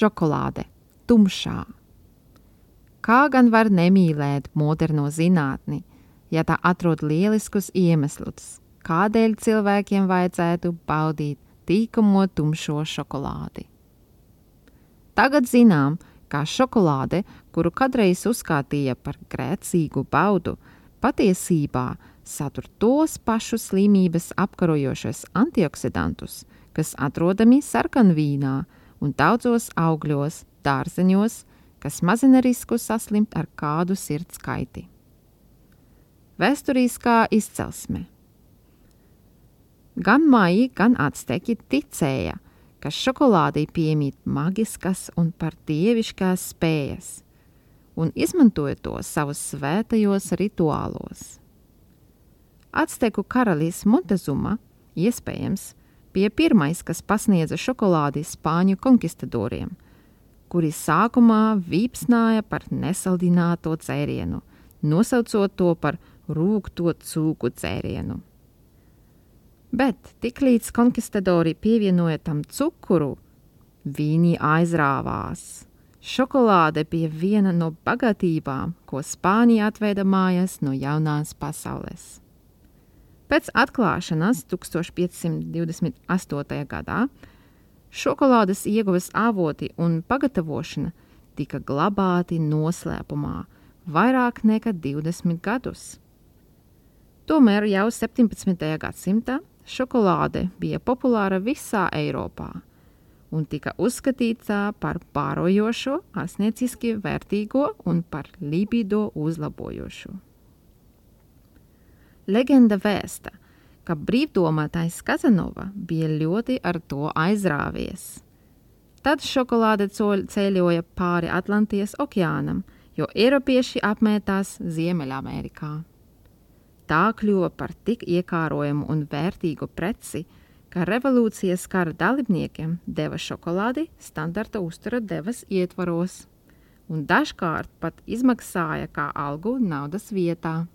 šokolāde tumšā. Kā gan var nemīlēt moderno zinātni, ja tā atrod lieliskus iemeslus, kādēļ cilvēkiem vajadzētu baudīt tīkamo tumšo šokolādi? Tagad zinām, kā šokolāde, kuru kādreiz uzskatīja par grēcīgu baudu, patiesībā satur tos pašus slimības apkarojošos antioksidantus, kas atrodami sarkanvīnā un daudzos augļos, dārzeņos, kas mazina risku saslimt ar kādu sirds kaiti. Vēsturiskā izcelsme. Gan maji, gan acteki ticēja, ka šokolādei piemīt magiskas un par dieviškās spējas, un izmantoja to savus svētajos rituālos. Acteku karalis Montezuma, iespējams, bija pirmais, kas pasniedza šokolādi spāņu konkistadoriem, kuri sākumā vīpsnāja par nesaldināto dzērienu, nosaucot to par rūgto cūku dzērienu. Bet tiklīdz konkistadori pievienoja tam cukuru, viņi aizrāvās. Šokolāde bija viena no bagātībām, ko Spānija atveida mājās no jaunās pasaules. Pēc atklāšanas 1528. gadā šokolādes ieguves avoti un pagatavošana tika glabāti noslēpumā vairāk nekā 20 gadus. Tomēr jau 17. gadsimtā šokolāde bija populāra visā Eiropā un tika uzskatīta par pārojošo, ārstnieciski vērtīgo un par libido uzlabojošu. Legenda vēsta, ka brīvdomātais Kazanova bija ļoti ar to aizrāvies. Tad šokolāde ceļoja pāri Atlantijas okeānam, jo eiropieši apmētās Ziemeļamerikā. Tā kļuva par tik iekārojumu un vērtīgu preci, ka revolūcijas kara dalībniekiem deva šokolādi standarta uztura devas ietvaros un dažkārt pat izmaksāja kā algu naudas vietā.